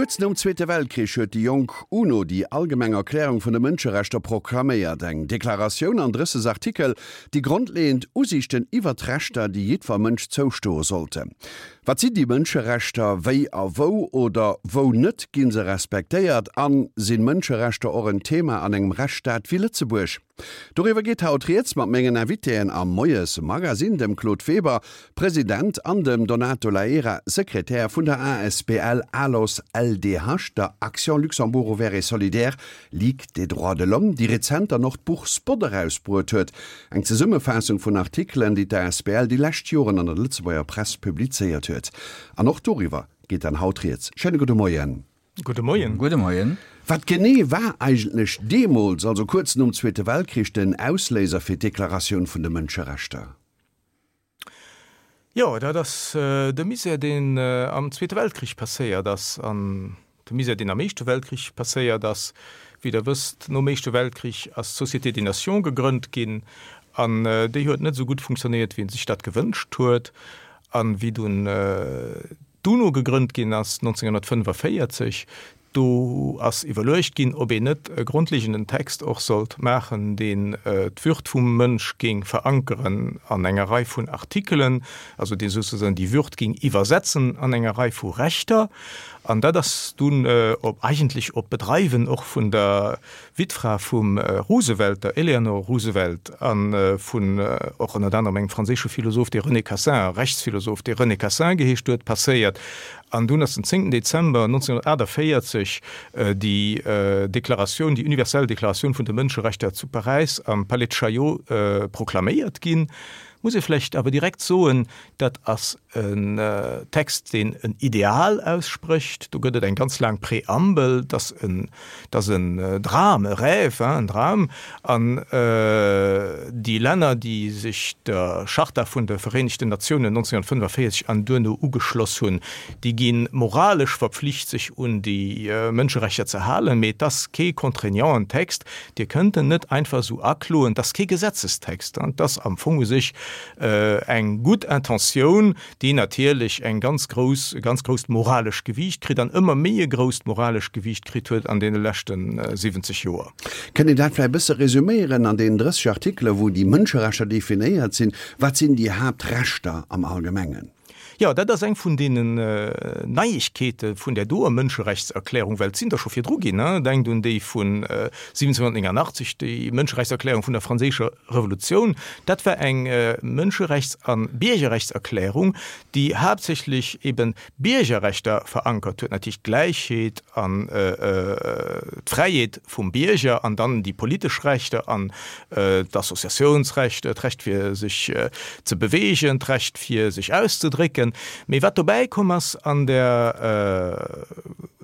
Kuerz nom Zweete Weltkrich huet déi jonk UNO déi Allgemeng Erklärung vun de Mënscherechter proklaméiert, eng Deklaratioun an 30 Artikel, déi grondleeënd Usiichten iwwer d'Rechter, déi jiddwer Mënsch zoustoe sollte. Wat sinn déi Mënscherechter, wéi a wou oder wou net gi se respektéiert an sinn Mënscherechter och en Thema an engem Rechtsstaat wéi Lëtzebuerg? Doriwwer geet haut rieds mat mengen Invitéen am Moies Magazine, dem Claude Weber, President, an dem Donato Laera, Sekretär vun der asbl ALOS LDH, der Action Luxembourg Ouvert et Solidaire, Ligue des droits de l'homme, déi rezent dann och d'Buch Spot erausbruet huet, eng Zesummefaassung vun Artikelen, déi d'asbl déi lescht Joren an der Lëtzebuerger Press publizéiert huet. An och doriwwer geet dann haut rieds. Schéine gudde Moien. Gudde Moien. Gudde Moien. Wat genee war eigentlech deemools, also kuerz nom Zweete Weltkrich, den Ausléiser fir d'Deklaratioun vun de Mënscherechter? Jo, dat ass de Misär, deen am Zweete Weltkrich passéiert ass an de Misär, deen am Éischte Weltkrich passéiert ass. Wéi Der wësst, nom Éischte Weltkrich ass d'Société des Nations gegrënnt ginn an déi huet net esou gutt funktionéiert, wéi ee sech dat gewënscht huet. A wéi dunn d'UNO gegrënnt ginn ass 1945, do ass iwwerluecht ginn, ob een net e grondlegenden Text och sollt maachen, deen d'Würd vum Mënsch géing verankeren an enger Rei vun Artikelen, also dee souzesoen déi Würd géing iwwersetzen an enger Rei vu Rechter. An dat ass dunn op eigentlech op Bedreiwen och vun der Wittfra vum Roosevelt, der Eleanor Roosevelt, a vun och ënnert anerem engem franséische Philosoph, dee René Cassin, Rechtsphilosoph, dee René Cassin geheescht huet, passéiert. An dunn ass den 10. Dezember 1948 déi Deklaratioun, déi universell Deklaratioun vun de Mënscherechter zu Paräis am Palais de Chaillot proklaméiert ginn. Muss ee vläicht awer direkt soen, dat ass en Text, deen en Ideal aussprécht. Do gëtt et eng ganz laang Preambel, dat ass en, dat ass en Dram, e Rêve, hein, en Dram. An déi Länner, déi sech der Charta vun de Vereenegten Natiounen 1945 an duerno ugeschloss hunn, déi gi moralesch verpflicht, sech un déi Mënscherechter ze halen. Mee et ass kee contraignanten Text. Dir kënnt en net einfach esou akloen. Et ass kee Gesetzestext. Et ass am Fong u sech eng gutt Intentioun, déi natierlech eng ganz grouss, e ganz grousst moralesch Gewiicht kritt an ëmmer méi e grousst moralesch Gewiicht kritt huet an deene leschte 70 Joer. Kënnt een dat vläicht e bësse resuméieren an deenen 30 Artikelen, wou déi Mënscherechter definéiert sinn? Wat sinn déi Haaptrechter am Allgemengen? Jo, dat ass eng vun deenen Neiegkeete vun där doer Mënscherechtserklärung, well et sinn der scho virdru ginn. Denkt un déi vun 1789, déi Mënscherechtserklärung vun der Franséischer Revolutioun. Dat war eng Mënscherechts a Biergerrechtserklärung, déi haaptsächlech eben Biergerrechter verankert huet, natierlech d'Gläichheet an d'Fräiheet vum Bierger an dann déi politesch Rechter an d'Associatiounsrecht, d'Recht fir sech ze beweegen, d'Recht fir sech auszedrécken. Mee wat dobäi komm ass an der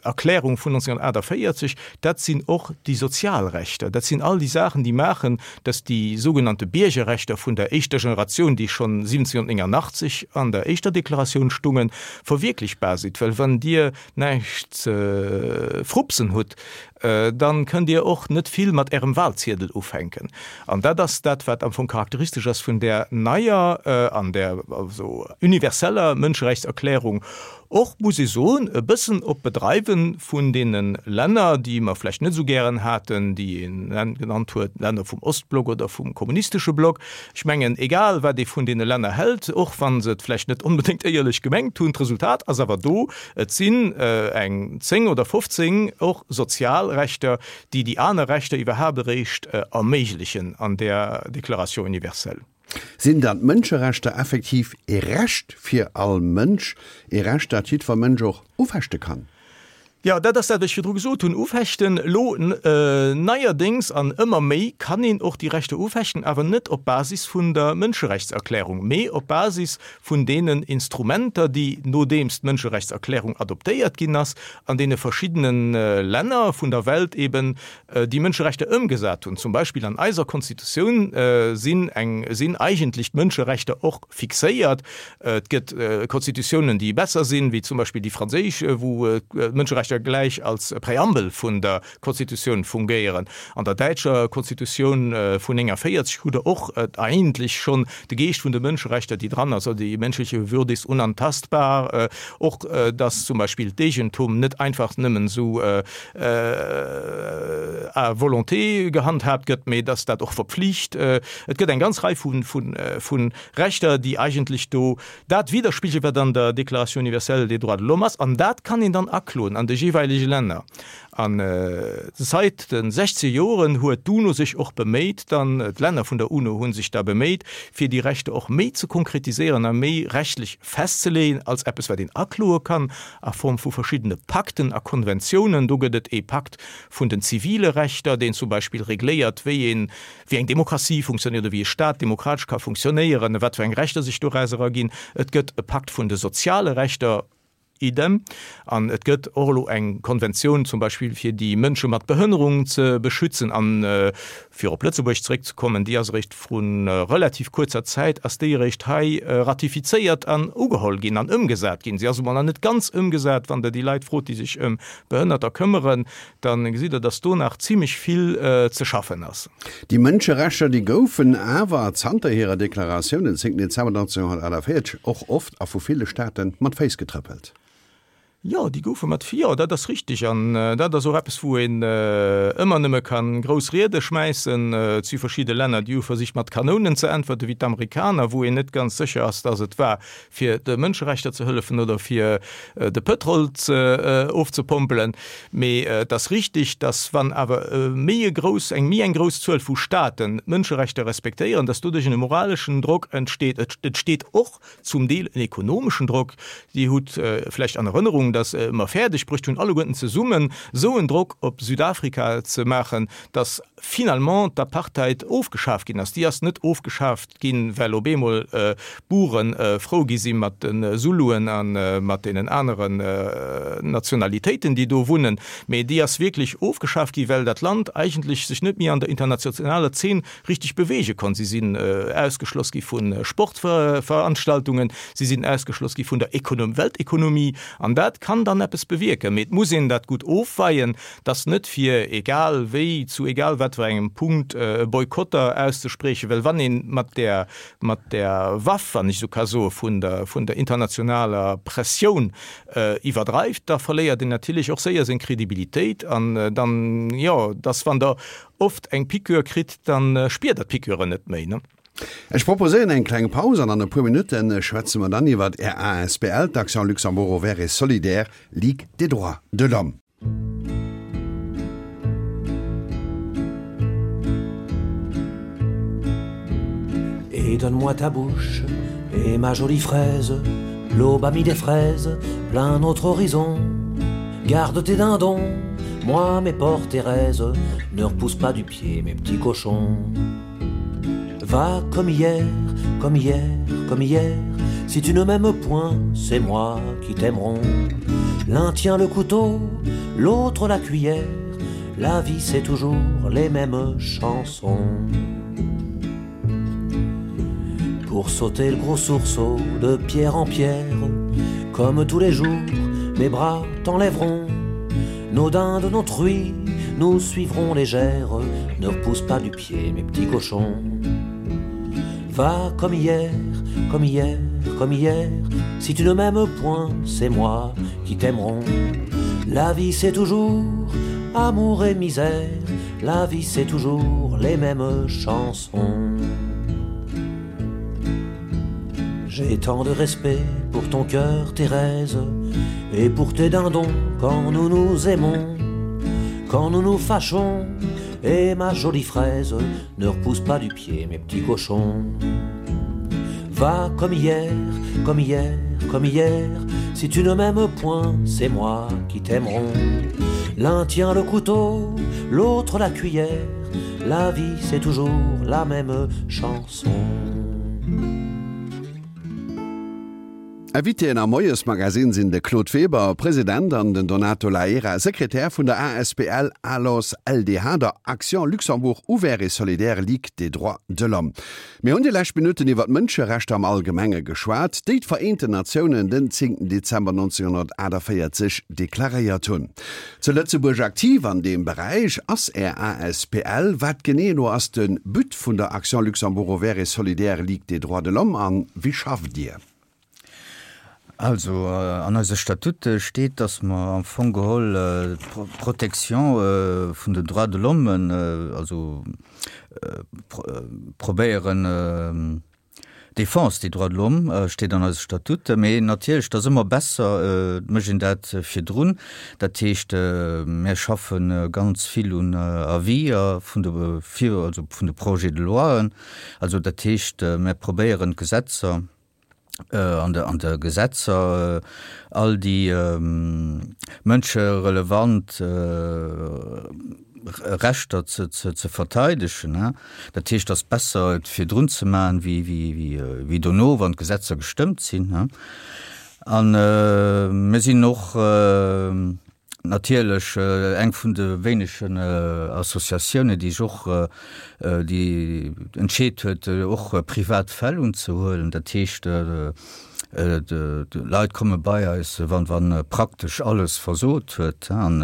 Erklärung vun 1948, dat sinn och déi sozial Rechter, dat sinn all déi Saachen, déi maachen, dass déi sougenannte Biergerrechter vun der éischter Generatioun, déi schonn 1789 an der éischter Deklaratioun stungen, verwierklechbar sinn. Well wann Dir näischt ze frupsen hutt, dann kënnt Dir och net vill mat Ärem Wahlziedel ufänken. An dat ass dat, wat am Fong charakteristesch ass vun där neier an där also universeller Mënscherechtserklärung. Och, muss ee soen, e bëssen op Bedreiwe vun deene Länner, déi mer vläicht net esou gären haten, déi een genannt huet, Länner vum Ostblock oder vum kommunistesche Block. Ech mengen, egal wat ee vun deene Länner hält, och wa se et vläicht net onbedéngt éierlech gemengt hunn, d'Resultat ass awer do, Et sinn eng 10 oder 15 och sozial Rechter, déi déi aner Rechter iwwerhaapt eréischt erméiglechen an där Déclaration universelle. Sinn dann d'Mënscherechter effektiv ee Recht fir all Mënsch, ee Recht, dat jiddwer Mënsch och ufechte kann? Jo, dat ass dat, wat ech virdru gesot hunn, ufechten. Elo neierdéngs an ëmmer méi kann een och déi Rechter ufechten, awer net op Basis vun der Mënscherechtserklärung, mee op Basis vun deenen Instrumenter, déi, nodeems d'Mënscherechtserklärung adoptéiert ginn ass, an deene verschiddene Länner vun der Welt eben déi Mënscherechter ëmgesat hunn. Zum Beispill an eiser Konstitutioun sinn eng, sinn eigentlech d'Mënscherechter och fixéiert. Et gëtt Konstitutiounen, déi besser sinn, wéi zum Beispill déi franséisch, wou d'Mënscherechter. Mënscherechter gläich als Präambel vun der Konstitutioun fungéieren. An der däitscher Konstitutioun vun 49 hutt Der och eigentlech schonn de Geescht vun de Mënscherechter, déi dran ass, also die menschliche Würde ist unantastbar, och dass zum Beispill d'Eegentum net einfach nëmmen esou à volonté gehandhaabt gëtt, mee dass dat och verpflicht. Et gëtt eng ganz Rei vu Rechter, déi eigentlech do dat widderspigelen, wat an der Déclaration universelle des droits de l'homme ass, an dat kann een dann akloen an de jeeweilege Länner. An sait de 60 Joren huet d'UNO sech och beméit, dann, d'Länner vun der UNO hu sech da beméit, fir déi Rechter och méi ze konkretiséieren a méi rechtlech festzeleeën als eppes, wat een akloe kann a Form vu verschiddene Pakten a Konventiounen. Do gëtt et ee Pakt vun den zivile Rechter, deen zum Beispill regléiert, wéi een, wéi eng Demokratie funktionéiert oder wéi e Staat demokratesch ka funktionéieren, wat fir eng Rechter sech dorauser erginn. Et gëtt e Pakt vun de soziale Rechter. Idem. An et gëtt och elo eng Konventioun zum Beispill fir déi Mënsche mat Behënnerung ze beschützen. An fir op Lëtzebuerg zeréckzekommen, déi ass eréischt vru relativ kuerzer Zäit ass déi eréischt hei ratifizéiert an ugeholl ginn an ëmgesat ginn. Si ass emol nach net ganz ëmgesat. Wann Der déi Leit frot, déi sech ëm Behënnerter këmmeren, Da gesitt Der, dass do nach zimlech vill ze schaffen ass. Déi Mënscherechter, déi goufen awer zanter hirer Deklaratioun den 10 Dezember 1948 och oft a vu ville Staate mat Féiss getrëppelt. Jo, déi goufe mat, jo, dat ass richtig. An dat ass och eppes, wou een ëmmer nëmme ka grouss Riede schmäissen. Et si verschidde Länner, déi hu versicht, mat Kanounen ze äntwerten, wéi d'Amerikaner, wou een net ganz sécher ass, dass et war, fir de Mënscherechter ze hëllefen oder fir de Pëtrol ofzepompelen. Mee et ass richtig, dass wann awer méi e grouss, eng méi eng grouss Zuel vu Staaten d'Mënscherechter respektéieren, dass doduerch en moraleschen Drock entsteet. Et entsteet och zum Deel en ekonomeschen Drock. Dir hutt vläicht an Erënnerung, dass mer fäerdeg bruecht hunn, alleguerten zesummen esou en Drock op Südafrika ze maachen, dass finalement d'Apartheid ofgeschaf ginn ass. Déi ass net ofgeschaaft Ginn, well op eemol d'Buren frou gi si mat de Zuluen a mat deenen aneren Nationalitéiten, déi do wunnen. Mee déi ass wierklech ofgeschaf gi well dat Land eigentlech sech net méi an der internationaler Zeen richteg beweege konnt. Si sinn ausgeschloss gi vu Sportveranstaltungen, si sinn ausgeschloss gi vun der Weltekonomie. An dat kann dann eppes bewierken. Mee et muss een dat gutt ofweien, dass net fir egal wéi, zu egal wat fir engem Punkt Boykotter auszespriechen, well wann ee mat där, mat där Waff, wann ech esou ka soen, vun der, vun der internationaler Pressioun iwwerdreift, da verléiert een natierlech och séier seng Kredibilitéit an dann, jo, dass wann Der oft eng Piqûre kritt, da spiert Der d'Piqûre net méi, ne? Ech proposéieren eng kleng Paus an an e puer Minutte schwätze mer dann iwwert Är asbl, d'Action Luxembourg Ouvert et Solidaire, Ligue des droits de l'homme. Et donne-moi ta bouche et ma jolie fraise L'aube a mis des fraises plein notre horizon Garde tes dindons, moi mes portes Thérèse Ne repousse pas du pied mes petits cochons Va comme hier, comme hier, comme hier Si tu ne m'aimes point, c'est moi qui t'aimeront L'un tient le couteau, l'autre la cuillère La vie c'est toujours les mêmes chansons Pour sauter le gros sourceau de pierre en pierre Comme tous les jours, mes bras t'enlèveront Nos dindes, nos truies, nous suivrons légères Ne repousse pas du pied mes petits cochons Va comme hier, comme hier, comme hier Si tu ne m'aimes point, c'est moi qui t'aimeront La vie c'est toujours amour et misère La vie c'est toujours les mêmes chansons J'ai tant de respect pour ton cœur, Thérèse, et pour tes dindons quand nous nous aimons, quand nous nous fâchons, et ma jolie fraise ne repousse pas du pied mes petits cochons. Va comme hier, comme hier, comme hier, si tu ne m'aimes point, c'est moi qui t'aimeront. L'un tient le couteau, l'autre la cuillère, la vie c'est toujours la même chanson. Invitéen am Moiesmagazin sinn de Claude Weber, President, an den Donato Laera, Sekretär vun der asbl ALOS LDH, der Action Luxembourg Ouvert et Solidaire Ligue des Droits de l'Homme. Mir hunn déi lescht Minutten iwwer d'Mënscherechter am Allgemenge geschwat, déi d'Vereenten Natiounen den 10 Dezember 1948 deklaréiert hunn. Zu Lëtzebuerg aktiv an deem Beräich ass Är asbl. Wat genee elo ass de But vun der Action Luxembourg Ouvert et Solidaire Ligue des Droits de l'Homme an wéi schafft Dir? Also an eise Statute steet, dass mer am Fong geholl d'Protection vun den Droits de l'Homme, also probéieren, Défense des droits de l'Homme steet an eise Statute, mee natierlech, et ass ëmmer besser, et mécht een dat virdrun. Dat heescht, mir schaffe ganz vill un Aviser vun de, also vun de Projets de loien. Also dat heescht, mir probéieren d'Gesetzer, an de an de Gesetzer all déi mënscherelevant Rechter ze ze verteidegen. Dat heescht, et ass besser et virdrun ze maachen, wéi wéi wéi dono, wann d'Gesetzer gestëmmt sinn. A mir sinn och Natierlech eng vun de wéinegen Associatiounen, déi sech och, déi entscheet huet, och privat Fäll unzehuelen. Dat heescht, d'Leit komme bei eis, wann, wann praktesch alles versot huet. An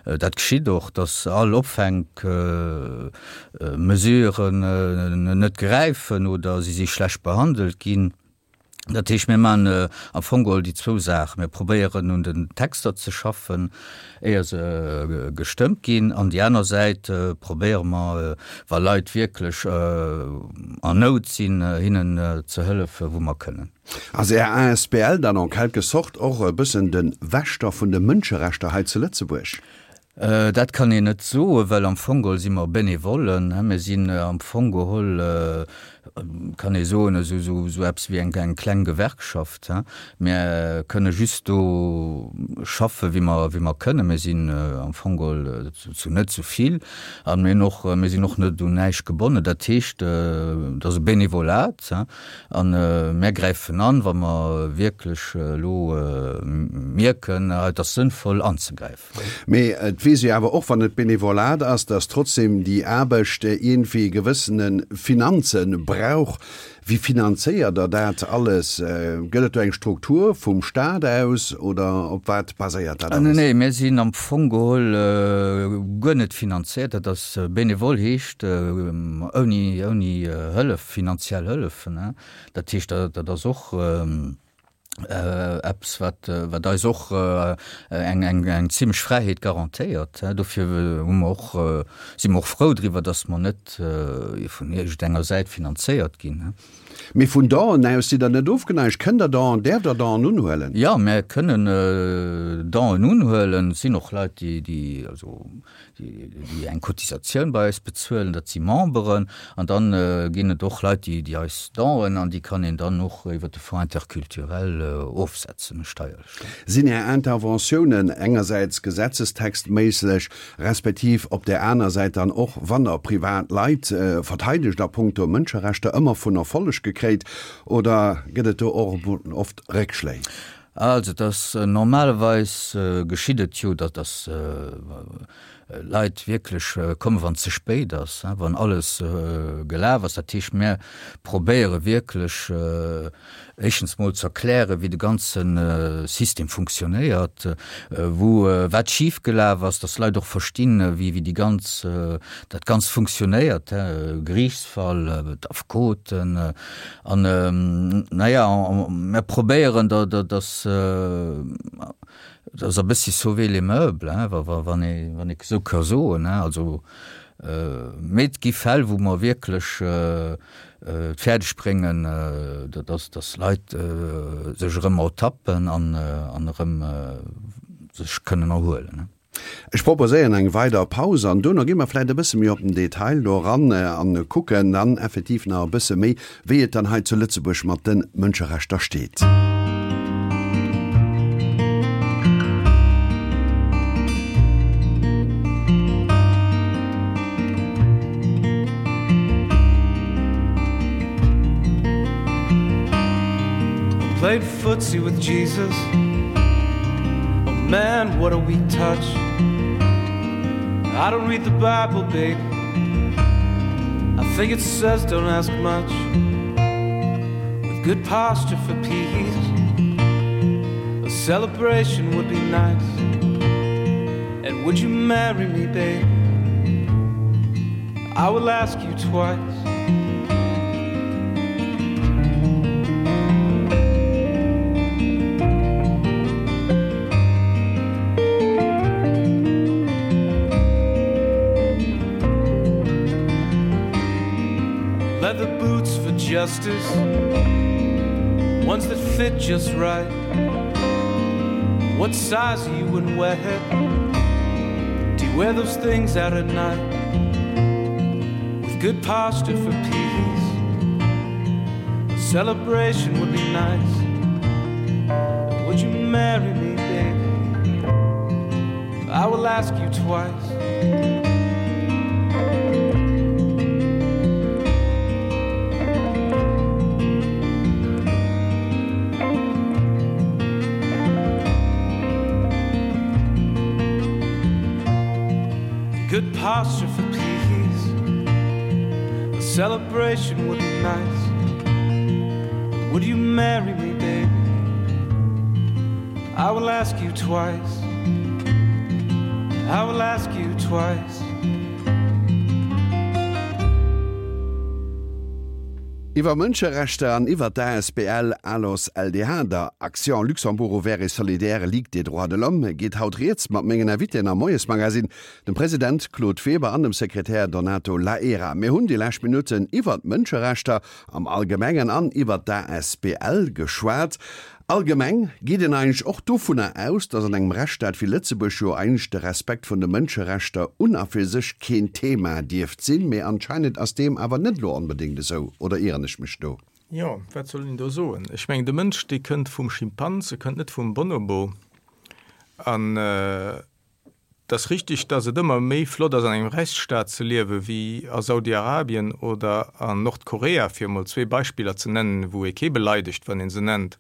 dat geschitt och, datt all Opfänkmesuren net gräifen oder si si schlecht behandelt ginn. Dat heescht, mir maachen am Fong geholl déi zwou Saachen. Mir probéieren un den Texter ze schaffen, éier se gestëmmt ginn. An déi aner Säit probéiere mer, wa Leit wierklech an Nout sinn, hinnen ze hëllefen, wou mer kënnen. Ass Är asbl dann en quelque sorte och e bëssen de Wächter vun de Mënscherechter hei zu Lëtzebuerg? Dat kann een net soen, well am Fong geholl si mer Benevollen. Mir sinn am Fong geholl, kann ee soen, esou eppes wéi eng kleng Gewerkschaft. Mir kënne just do schaffe wéi mer wéi mer kënnen. Mir sinn am Fong geholl zu net esou vill a mir hunn och, mir sinn och net un näischt gebonnen. Dat heescht, et ass e Benevolat a mir gräifen an, wa mer wierklech elo mierken, et ass sënnvoll anzegräifen. Mee et weess ee awer och, wann et Benevolat ass, dass trotzdem déi Aarbecht iergendwéi gewëssene Finanze brauch. Wéi finanzéiert Der dat alles? Gëtt et do eng Struktur vum Stat aus oder op wat baséiert dat alles? Nee, mir sinn am Fong geholl guer net finanzéiert. Dat ass benevol, heescht ouni, ouni Hëllef, finanziell Hëllef. Dat heescht, dat ass och. Eppes, wat, wat eis och eng, eng, eng zimlech Fräiheet garantéiert. Dofir hu mer och, si mer och frou driwwer, datt mer net vun iergendenger Säit finanzéiert ginn. Mee vun Donen aus sidd Der net ofgeneigt? Kënnt Der Donen, däerft Der Donen unhuelen? Jo, mir kënnen Donen unhuelen. Et sinn och Leit, déi, déi, also déi eng Cotisatioun bei eis bezuelen, dat si Memberen, an dann ginn et och Leit, déi eis Donen, an déi kann een dann och iwwer de Fonds interculturel ofsetzen, steierlech. Sinn Är Interventiounen engersäits gesetzestextméisseg, respektiv op där aner Säit dann och, wann Der privat Leit verteidegt a punkto Mënscherechter, ëmmer vun Erfolleg gekréint, oder gëtt et do och oft Réckschléi? Also et ass normalerweis geschitt et jo, datt datt Leit wierklech kommen, wann et ze spéit ass, wann alles gelaf ass. Dat heescht, mir probéiere wierklech éischtens mol ze erklären, wéi de ganze System funktionéiert, wou wat schif gelaf ass, datt d'Leit och verstinn, wéi wéi déi ganz dat Ganzt funktionéiert, Geriichtsfall, d'Affekoten. An, naja, mir probéieren da, dass, dass e bëssi sauver les meubles, hein, wann ee, wann ee esou ka soen, hein. Also, mee et gi Fäll, wou mer wierklech et fäerdeg bréngen, dass, dass Leit sech erëm ertappen an, an erëm sech kënnen erhuelen, hein. Ech proposéieren eng weider Paus an duerno gi mer vläicht e bësse méi op den Detail do eran an kucken dann effektiv nach e bësse méi, wéi et dann hei zu Lëtzebuerg mat de Mënscherechter steet. Played footsie with Jesus. Oh man, what a weak touch. I don't read the Bible, babe. I think it says don't ask much. With good posture for peace, a celebration would be nice. And would you marry me, babe? I will ask you twice. Leather boots for justice, ones that fit just right. What size are you and where? Do you wear those things out at night? With good posture for peace, a celebration would be nice. Would you marry me, baby? I will ask you twice. Good posture for peace. A celebration would be nice. Would you marry me, baby? I will ask you twice. I will ask you twice. Iwwer Mënscherechter an iwwer d'ASBL Alos LDH, der Action Luxembourg Ouvert et Solidaire Ligue des Droits de l'Homme, geet haut rieds mat mengen Invitéen am Moiesmagazine, dem President Claude Weber an dem Sekretär Donato Laera. Mir hunn déi lescht Minutten iwwer d'Mënscherechter am Allgemengen an iwwer d'ASBL geschwat. Allgemeng geet een eigentlech och dovunner aus, datt an engem Rechtsstaat wéi Lëtzebuerg jo eigentlech de Respekt vun de Mënscherechter un a fir sech keen Thema dierft sinn. Mee anscheinend ass deem awer net elo onbedéngt esou, oder ieren ech mech do? Jo, wat soll een do soen? Ech mengen, de Mënsch, dee kënnt vum Schimpans, e kënnt net vum Bonobo. An Et ass richtig, dass et ëmmer méi flott ass an engem Rechtsstaat ze liewe wéi a Saudi-Arabien oder an Nordkorea, fir emol zwee Beispiller ze nennen, wou ee kee beleidegt, wann ee se nennt.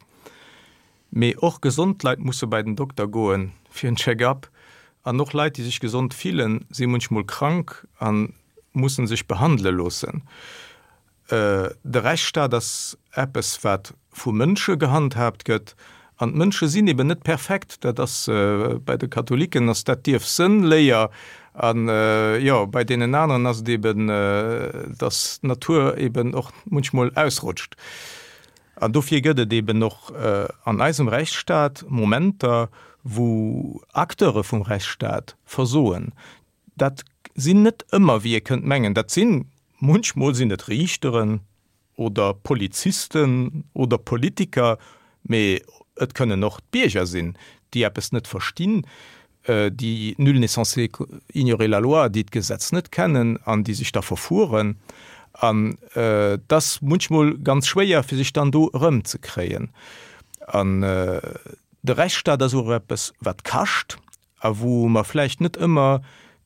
Mee och gesond Leit musse bei den Dokter goen fir en Check-up an och Leit, déi sech gesond fillen, si munchmol krank a musse sech behandele loossen. De Rechtsstaat ass eppes, wat vu Mënsche gehandhaabt gëtt. An d'Mënsche sinn eben net perfekt. Dat ass, bei de Katholiken ass dat d'Ierfsënnléier. An, jo, bei deenen aneren ass et eben, datt d'Natur eben och munchmol ausrutscht. An dofir gëtt et eben och an eisem Rechtsstaat Momenter, wou Acteure vum Rechtsstaat versoen. Dat sinn net ëmmer, wéi ee kënnt mengen, dat sinn, munchmol sinn et Riichteren oder Polizisten oder Politiker, mee et kënnen och d'Bierger sinn, déi eppes net verstinn, déi, nul n'est censé ignorer la loi, déi d'Gesetz net kennen an déi sech da verfueren. An et ass munchmol ganz schwéier, fir sech dann do erëmzekréien. An de Rechtsstaat ass och eppes, wat kascht. a wou mer vläicht net ëmmer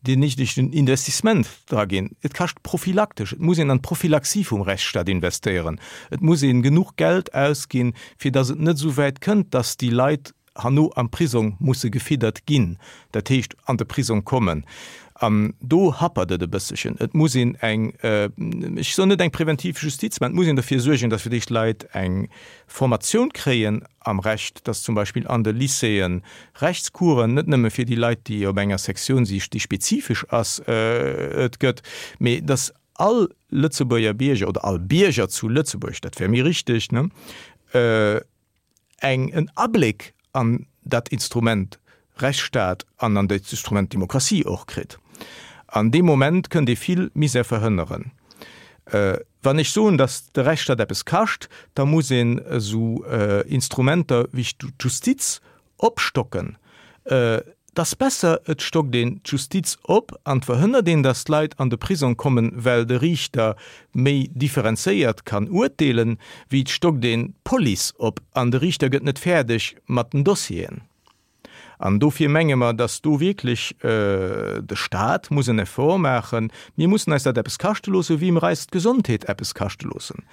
deen néidegen Investissement dra ginn. Et kascht prophylaktesch, et muss een an d'Prophylaxie vum Rechtsstaat investéieren, et muss ee genuch Geld ausginn, fir datt et net esou wäit kënnt, datt déi Leit herno am Prisong musse gefiddert ginn, dat heescht an de Prisong kommen. An do happert et e bësselchen. Et muss een eng, ech soen net eng präventiv Justiz, mä et muss een derfir suergen, datt fir d'éischt Leit eng Formatioun kréien am Recht, dass zum Beispill an de Lycéeë Rechtscoursen, net nëmme fir déi Leit, déi op enger Sektioun si, déi spezifesch ass, et gëtt, mee dass all Lëtzebuerger Bierger oder all Bierger zu Lëtzebuerg, dat wär méi richteg, ne, eng en Abléck an dat Instrument Rechtsstaat an an dat Instrument Demokratie och kritt. An dee Moment kënnt ee vill Misär verhënneren. Wann ech soen, datt de Rechtsstaat eppes kascht, da muss een esou Instrumenter wéi d'Justiz opstocken. Et ass besser, et stockt een d'Justiz op an et verhënnert een, datt d'Leit an de Prisong kommen, well de Riichter méi differenzéiert kann urteelen, wéi et stockt een d'Police op an de Riichter gëtt net fäerdeg mat den Dossieren. An dofir menge mer, dass do wierklech de Stat muss en Effort maachen. Mir mussen eis dat eppes kaschte loossen, wéi mer eis d'Gesondheet eppes kaschte loossen.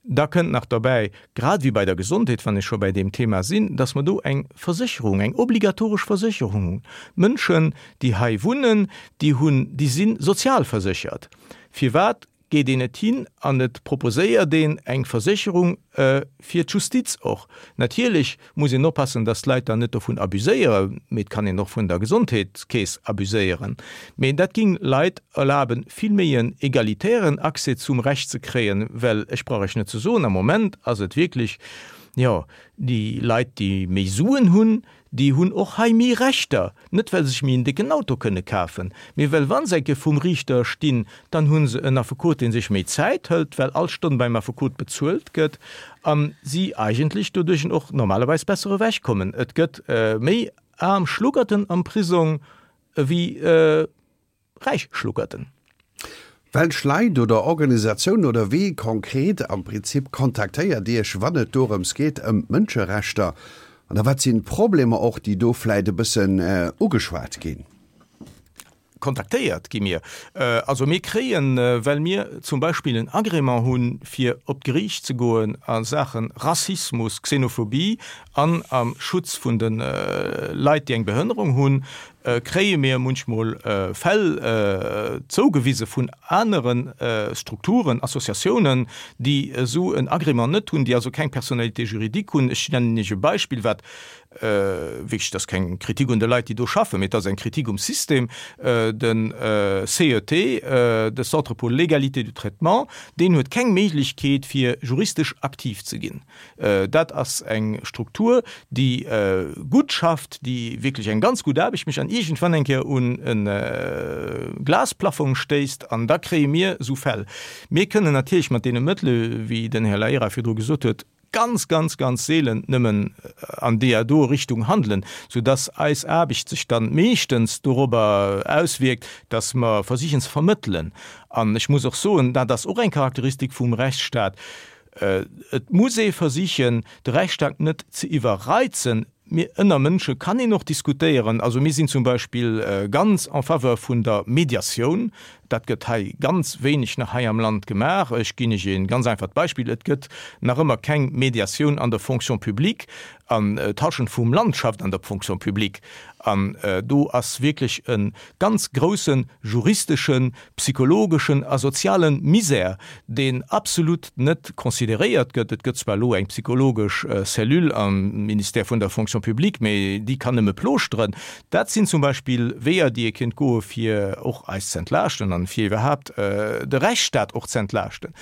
Da kënnt nach derbäi, grad ewéi bei der Gesondheet, wann ech scho bei deem Thema sinn, dass mer do eng Versécherung, eng obligatoresch Versécherung hunn. D'Mënschen, déi hei wunnen, déi hunn, déi si sozialverséchert. Firwat geet een net hin an et proposéiert een eng Versécherung fir d'Justiz och? Natierlech muss een oppassen, dass d'Leit dann net dovun abuséieren, mee et kann een och vun der Gesondheetskeess abuséieren. Mee dat ging Leit erlaben, vill méi en egalitären Accès zum Recht ze kréien, well ech brauch Iech net ze soen, am Moment ass et wierklech, jo, déi Leit, déi méi Suen hunn, Déi hunn och hei méi Rechter, net well se sech méi en décken Auto kënne kafen, mee well wa se eng Kéier vum Riichter stinn, dann hu se en Affekot, dee sech méi Zäit hëlt, well all Stonn beim Affekot bezuelt gëtt a si eigentlech doduerch och normalerweis besser ewechkommen. Et gëtt méi aarm Schluggerten am Prisong ewéi. Räich Schluggerten. Welch Leit oder Organisatiounen oder wee konkret am Prinzip kontaktéiert Iech, wann et dorëms geet, ëm d'Mënscherechter? An da wat sinn d'Problemer och, déi do vläit e bëssen ugeschwat ginn? Kontaktéiert gi mir, also mir kréien, well mir zum Beispill en Agrément hunn, fir op d'Geriicht ze goen a Saache Rassismus, Xenophobie an am Schutz vun de Leit, déi eng Behënnerung hunn, kréie mir munchmol Fäll zougewise vun anere Strukturen, Associatiounen, déi esou en Agrément net hunn, déi also keng Personnalité juridique hunn. Ech nennen Iech e Beispill, wat wierklech, dat ass keng Kritik un de Leit, déi do schaffen, mee et ass eng Kritik um System, de CET, de Centre pour l'égalité du traitement, deen huet keng Méiglechkeet, fir juristesch aktiv ze ginn. Dat ass eng Struktur, déi gutt schafft, déi wierklech eng ganz gutt Aarbecht mécht an iergendwann eng Kéier un e Glasplaffong stéisst an da kréie mir esou Fäll. Mir kënnen natierlech mat deene Mëttele, wéi den Här Laera virdru gesot huet, ganz, ganz, ganz seelen nëmmen an deeër do Richtung handelen, soudass eis Aarbecht sech dann meeschtens dorobber auswierkt, dass mer versichen ze vermëttelen. An ech muss och soen, dat ass och eng Charakteristik vum Rechtsstaat, Et muss ee versichen, de Rechtsstaat net ze iwwerreizen. Mee ënner Mënsche kann een och diskutéieren. Also mir sinn zum Beispill ganz en faveur vun der Mediatioun. Dat gëtt hei ganz wéineg nach hei am Land gemaach. Ech ginn Iech e ganz einfacht Beispill, Et gëtt nach ëmmer keng Mediatioun an der Fonction publique. An d'Hallschent vum Land schafft an der Fonction publique. An do ass wierklech e ganz grousse juristeschen, psychologeschen a soziale Misär, deen absolut net consideréiert gëtt. Et gëtt zwar elo eng psychologesch Cellule am Ministère vun der Fonction publique, mee déi kann nëmme plooschteren. Dat sinn zum Beispill Weeër, déi ee kéint goe fir och eis ze entlaaschten an fir iwwerhaapt de Rechtsstaat och ze entlaaschten.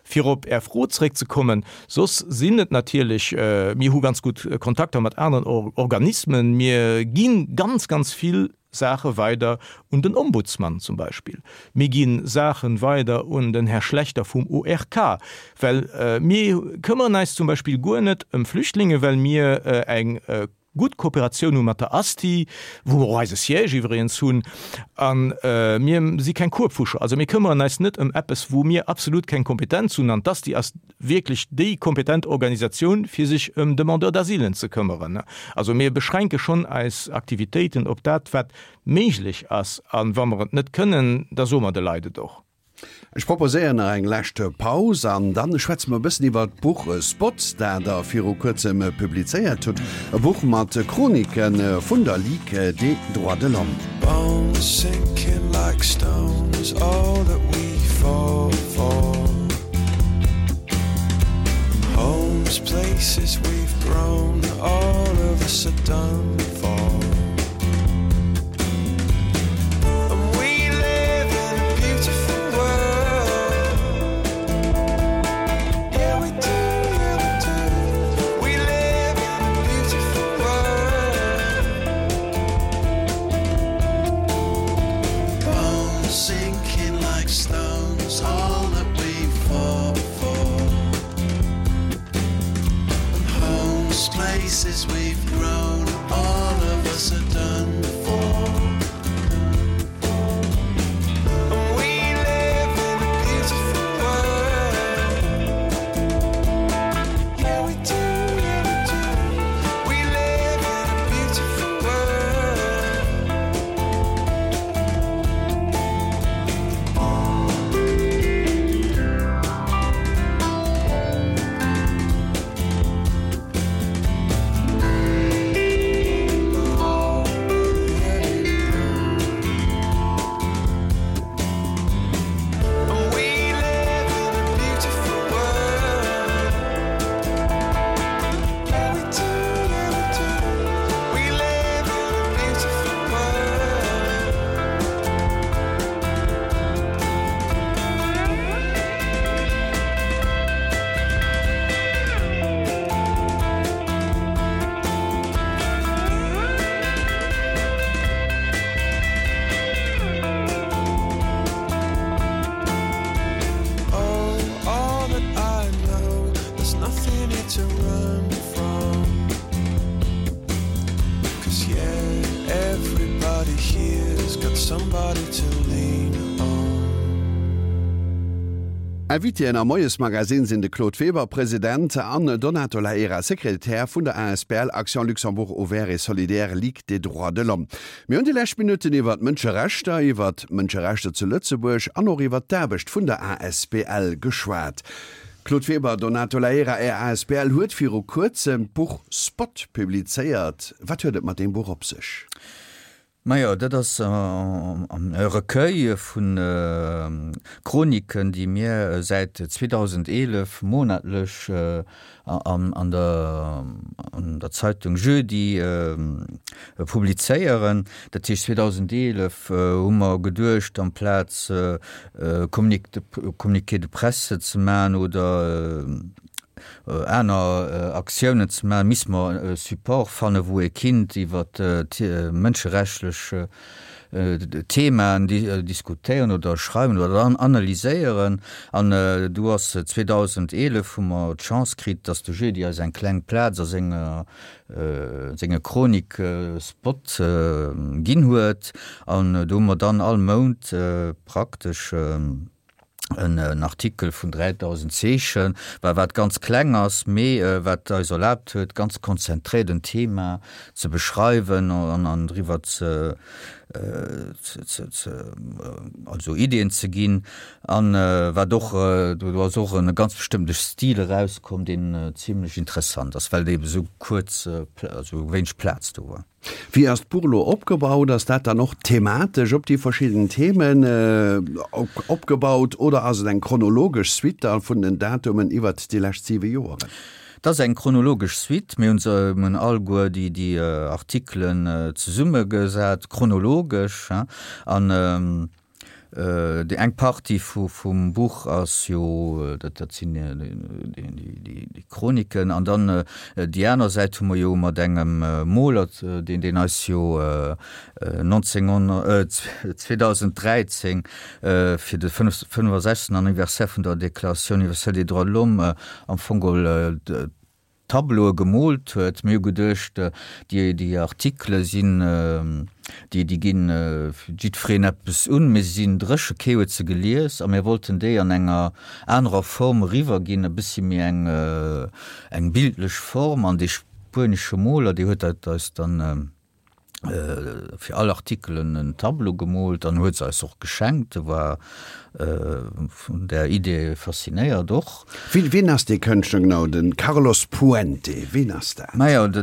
Fir op Är Fro zréckzekommen, soss sinn et natierlech, mir hu ganz gutt Kontakter mat aneren Organismen, mir gi ganz, ganz vill Saache weider un den Ombudsman zum Beispill, mir gi Saache weider un den Här Schlechter vum ORK, well mir këmmeren eis zum Beispill guer net ëm Flüchtlinge, well mir eng gutt Kooperatioun hu mat der ASTI, wou mer och eise Siège iwwregens hunn, a mir si keng Kuebfuscher. Also mir këmmeren eis net ëm eppes, wou mir absolut keng Kompetenz hunn, an d'ASTI ass wierklech déi kompetent Organisatioun, fir sech ëm Demandeurs d'asilen ze këmmeren. Also mir beschränke schonn eis Aktivitéiten op dat, wat méiglech ass, a wa mer et net kënnen, da soe mer de Leit et och. Ech proposéieren nach eng lescht Paus an dann schwätze mer e bëssen iwwer d'Buch Spots, dat Der viru kuerzem publizéiert hutt. E Buch mat Chronike vun der Ligue des droits de l'homme. Bones sinking like stones, all that we fought for. Homes, places we've grown, all of us are done for. And we live in a beautiful world. Yeah, we do, yeah, we do. We live in a beautiful world. Bones sinking like stones, all that we fought for. And homes, places we've grown, all of us are done for. And we live in a beautiful world. Yeah, we do, yeah, we do. We live in a beautiful world. Somebody to lean on. Invitéen am Moiesmagazin sinn de Claude Weber, President, an Donato Laera, Sekretär vun der asbl Action Luxembourg Ouvert et Solidaire Ligue des Droits de l'Homme. Mir hunn déi lescht Minutten iwwer d'Mënscherechter, iwwer d'Mënscherechter zu Lëtzebuerg an och iwwer d'Aarbecht vun der asbl geschwat. Claude Weber, Donato Laera, Är asbl huet viru kuerzem d'Buch Spot publizéiert. Wat huet et mat deem Buch op sech? Majo, dat ass e Recueil vu Chroniken, déi mir säit 2011 monatlech an der Zeitung Jeudi publizéieren. Dat heescht, 2011 hu mer geduecht, amplaz Communiqué de presse ze maachen oder aner Aktiounen ze maachen, misste mer e Support fannen, wou ee kinnt iwwer mënscherechtlich Themaen diskutéieren oder schreiwen oder analyséieren. An du ass 2011 hu mer d'Chance kritt, datt de Jeudi eis eng kleng Plaz a senger senge Chronik Spot ginn huet. An do hu mer dann all Mount praktesch en Artikel vun 3.000 Zeechen, wa wat ganz kleng ass, mee wat eis erlaabt huet, ganz konzentréiert en Thema ze beschreiwen an an driwwer ze ze also Ideeën ze ginn. An wat och, do ass och e ganz bestëmmte Stil erauskomm, deen zimlech interessant ass, well et eebe sou kuerz, also wéineg Plaz do war. Wéi ass d'Buch elo opgebaut? Ass dat dann och thematesch op déi verschidden Themen opgebaut oder ass et eng chronologesch Suite da vun den Datumen iwwert déi lescht siwe Joeren? Et ass eng chronologesch Suite. Mir hunn se, mir hunn alleguer déi Artikelen zesummegesat, chronologesch, an Déi eng Partie vum Buch ass jo, dat sinn déi Chroniken, an dann déi aner Säit hu mer jo mat engem Moler, deen deen eis jo 2013 fir de 65. Anniversaire vun der Déclaration universelle des droits de l'homme am Fong geholl Tableaue gemoolt huet. Mir hu geduecht, déi Artikele sinn, déi déi ginn jiddwereen eppes un, mee se sinn dréche, kee huet se gelies a mir wollten déi an enger anerer Form eriwwerginn, e bëssi méi eng eng bildlech Form. An dee spuenesche Moler, dee huet dat eis dann fir all Artikel en Tableau gemoolt an huet se eis och geschenkt. E war vun där Idee faszinéiert och. Wien ass dee Kënschtler genau, de Carlos Puente, wien ass dat? Majo, de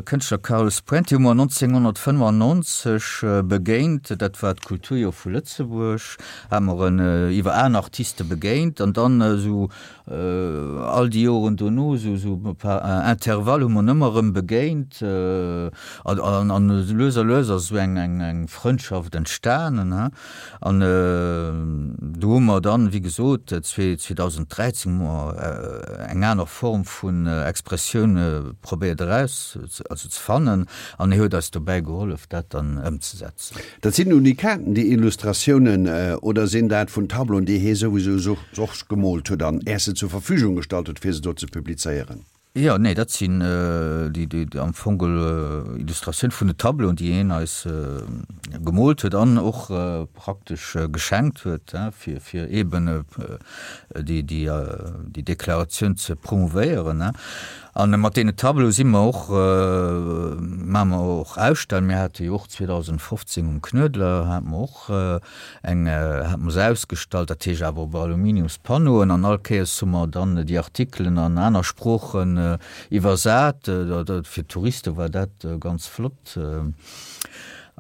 Kënschtler Carlos Puente hu mer 1995 begéint. Dat war d'Kulturjoer vu Lëtzebuerg, hate mer en iwwer aner Artiste begéint an dann esou All déi Joren dono, esou e par Intervalle hu mer en ëmmer erëm begéint an lues a lues ass esou eng Frëndschaft entstanen. An do hu mer dann, wéi gesot, 2013 hu mer eng aner Form vun Expressioun probéiert eraus, also ze fannen an hie huet eis dobäi gehollef, dat dann ëmzesetzen. Dat sinn Unikaten, déi Illustratiounen, oder sinn dat vun Tableauen, déi hie souwisou och gemoolt huet an Är se zur Verfügung gestallt huet, fir se do ze publizéieren? Jo, nee, dat sinn déi am Fong Illustratioun vun de Tableauen, déi hien eis gemoolt huet an och praktesch geschenkt huet, fir fir eeben déi déi Deklaratioun ze promouvéieren. An mat deene Tableaue si mer och, maache mer och Ausstellungen. Mir hate jo och 2015 um Knuedler hate mer och eng, hate mer se ausgestallt, dat heescht awer op Aluminiumspanneauen. An all Kéiers hu mer dann déi Artikelen an aner Sproochen iwwersat. Fir d'Touriste war dat ganz flott.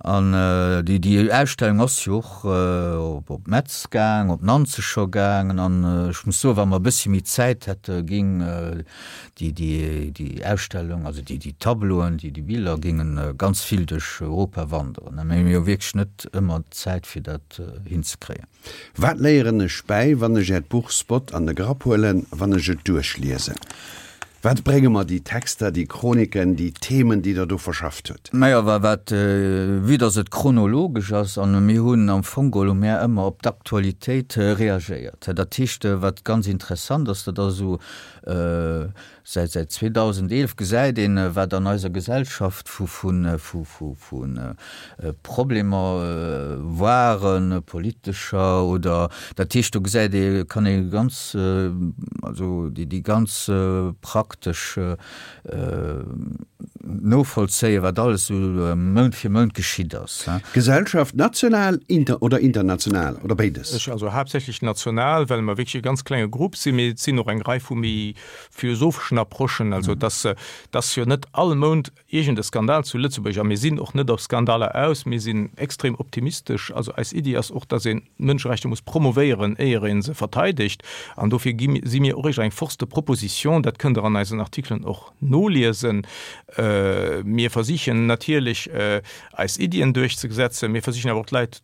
An déi, déi Ausstellung ass jo och op Metz gaang, op Nanzeg scho gaangen. An ech muss soen, wa mer e bëssi méi Zäit hätte géing déi, déi, déi Ausstellung, also déi, déi Tableauen, déi, déi Biller géinge ganz vill duerch Europa wanderen. Mä mir hu wierklech net ëmmer d'Zäit, fir dat hinzekréien. Wat léieren ech bäi, wann ech Äert Buch Spot an de Grapp huelen, wann ech et duerchliesen? Wat brénge mer déi Texter, déi Chroniken, déi Themen, déi Der do verschafft hutt? Naja, wa wat, vue dass et chronologesch ass, an mir hunn am Fong geholl hu mär ëmmer op d'Aktualitéit reagéiert. Dat heescht, wat ganz interessant ass, dat ass esou, Säit säit 2011 gesäit een, wat an eiser Gesellschaft vu vu vu vu Problemer waren, politescher oder, dat heescht do gesäit ee, kann ee ganz, also déi déi ganz praktesch novollzéien, wat alles esou Mount fir Mount geschitt ass. Gesellschaft, national inter oder international oder béides? Ech, also haaptsächlech national, well mer wierklech e ganz klenge Grupp sinn, mee et sinn och eng Rei vu méi philosopheschen Approchen, also dass dass jo net all Mount iergend e Skandal zu Lëtzebuerg, a mir sinn och net op Skandaler aus, mir sinn extrem optimistesch, also eis Iddi ass och, dass een d'Mënscherechter muss promovéieren, éier ee se verteidegt, an dofir gi si mir och éischter eng Force de proposition, dat kënnt Der an eisen Artikelen och noliesen. Mir versichen natierlech eis Iddien duerchzesetzen, mir versichen awer och d'Leit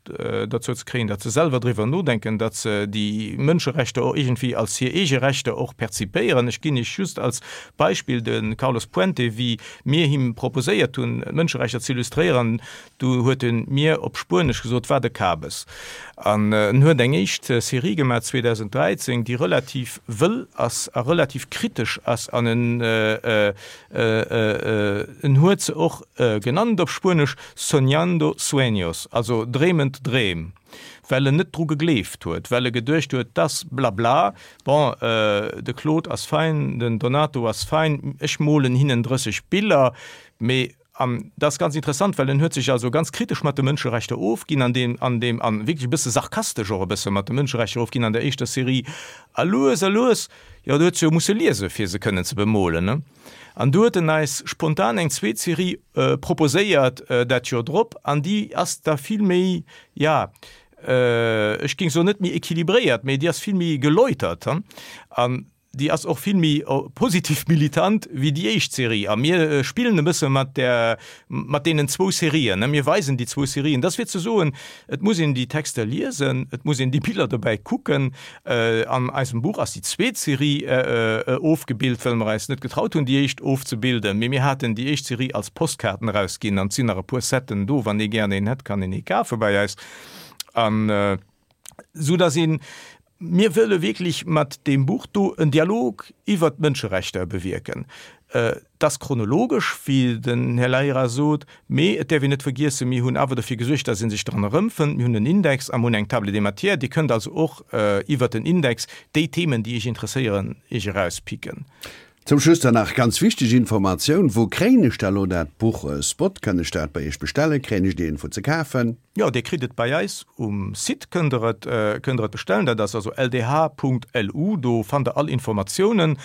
dozou ze kréien, datt se selwer driwwer nodenken, datt se déi Mënscherechter och iergendwéi als hir eege Rechter och perzipéieren. Ech ginn Iech just als Beispill de Carlos Puente, wéi mir him proposéiert hunn, d'Mënscherechter ze illustréieren, du huet en mir op Spuenesch gesot, Wat e Kabes. An en huet eng éischt Serie gemaach 2013, déi relativ wëll ass a relativ kritesch ass an en En huet se och genannt op Spuenesch Soñando sueños, also dreemend Dreem, well en net dru gegleeft huet, well e geduecht huet, dass blabla, bon, de Claude ass fein, den Donato ass fein, ech molen hinnen 30 Biller, mee An dat ass ganz interessant, well en huet sech also ganz kritesch mat de Mënscherechter ofginn an deem, an deem, an wierklech e bësse sarkastesch och e bësse mat de Mënscherechter ofginn an der éischter Serie. A lues a lues, jo, do huet se jo musse liese fir se kënnen ze bemolen, ne? An du huet en eis spontan eng zweet Serie proposéiert dat Joer drop, an déi ass da vill méi, ja, ech géing soen net méi équilibréiert, mee déi ass vill méi geläutert, an Déi ass och vill méi positiv militant wéi déi éischt Serie. A mir spillen e bësse mat där, mat deenen zwou Serien. Mir weisen déi zwou Serien. Dat ass fir ze soen, et muss een déi Texter liesen, et muss een déi Biller dobäi kucken. An eisem Buch ass déi zweet Serie ofgebilt, well mer eis net getraut hunn, déi éischt ofzebilden. Mee mir haten déi éischt Serie als Postkaarten erausginn an et sinn nach e puer Setten do. Wann ee gären een hätt, kann een ee kafe bei eis. An esou datt een Mir wëlle wierklech mat deem Buch do en Dialog iwwert d'Mënscherechter bewierken. Et ass chronologesch, wéi den Här Laira sot, mee et däerf een net vergiessen, mir hunn awer dofir gesuergt, dass ee sech dran erëmfënnt. Mir hunn en Index a mir hunn eng Table des matières. Dir kënnt also och iwwert den Index déi Themen, déi Iech interesséieren, Iech erauspicken. Zum Schluss dann nach ganz wichteg Informatioun, Wou kréien ech da lo dat Buch Spot? Kann ech dat bei Iech bestellen? Kréien ech et iergendwou ze kafen? Jo, Dir kritt et bei eis um Site, kënnt der et, kënnt der et bestellen. Dat ass also ldh.lu. Do fannt der all Informatiounen.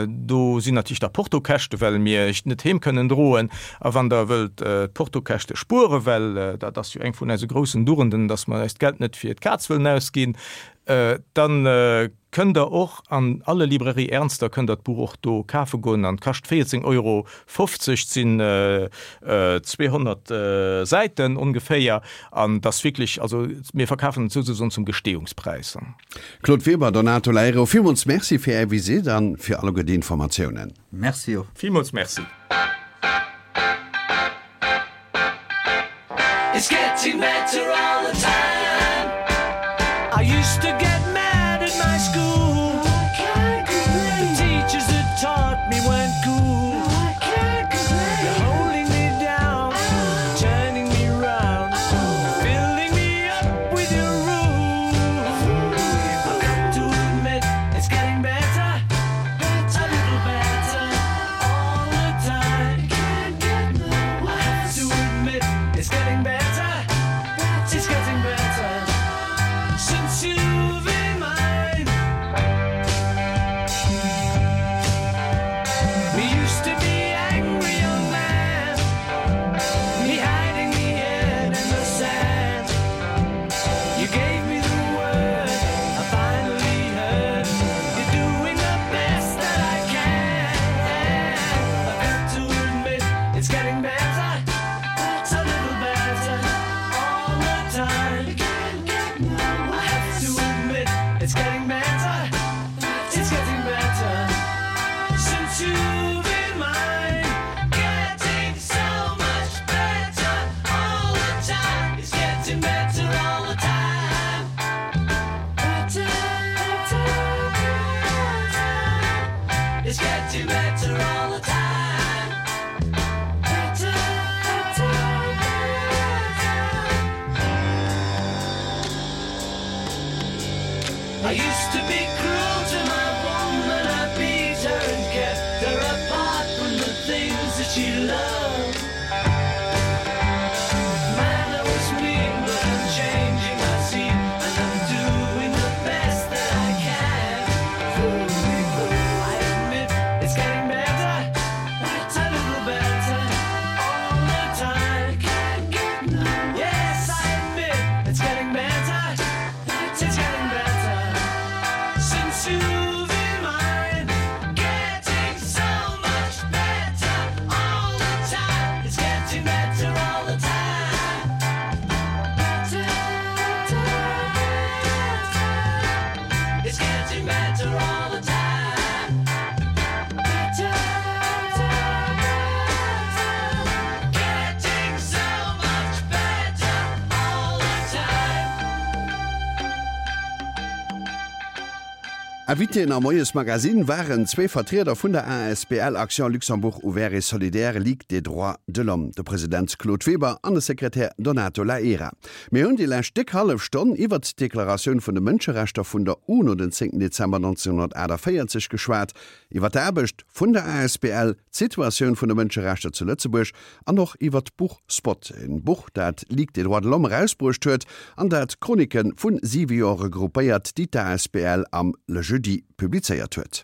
Do sinn natierlech da Portokäschte, well mir iech net heem kënnen droen. A wann der wëllt d'Portokäschte spueren, well dat ass jo eng vun eise groussen Durenden, dass mer eist Geld net fir d'Kaz wëllen ausginn, dann Kënnt der och an alle Librairie Ernster kënnt der d'Buch och do kafe goen an kascht 14 Euro 50, sinn 200 Säiten ongeféier an et ass wierklech, also mir verkafen et souzesoen zum Gestehungspräis. Claude Weber, Donato Leiro, villmools Merci fir Är Visitt an fir alleguer déi Informatiounen. Merci och. Villmools Merci. It's getting better all the time I used to get mad at my school The teachers that taught me weren't cool You're holding me down, turning me round Filling me up with your rules I've got to admit, it's getting better A little better all the time I have to admit, it's getting better It's getting better Since you've been mine. better all the time. Better, better, better. I used to be cruel to my woman, I beat her and kept her apart from the things that she loved. Man, I was mean, but I'm changing, I see, and I'm doing the best that I can. I admit it's getting better, a little better all the time. Can't get no. Yes, I admit it's getting better, it's getting better since you've been mine. Getting so much better all the time. It's getting better all the time. Better, better, better. It's getting better all the time. Better, better, better. Getting so much better all the time. Invitéen am Moies Magazine waren zwee Vertrieder vun der asbl Action Luxembourg Ouvert et Solidaire, Ligue des droits de l'homme, de President Claude Weber an de Sekretär Donato Laera. Mir hunn déi lescht déck hallef Stonn iwwert d'Deklaratioun vun de Mënscherechter vun der UNO den 10 Dezember 1948 geschwat, iwwer d'Aarbecht vun der asbl, d'Situatioun vun de Mënscherechter zu Lëtzebuerg an och iwwer d'Buch Spot, en Buch dat d'Ligue des droits de l'homme erausbruecht huet an dat Chroniken vu siwe Joer regroupéiert, déi d'ASBL am Le Jeudi publizéiert huet.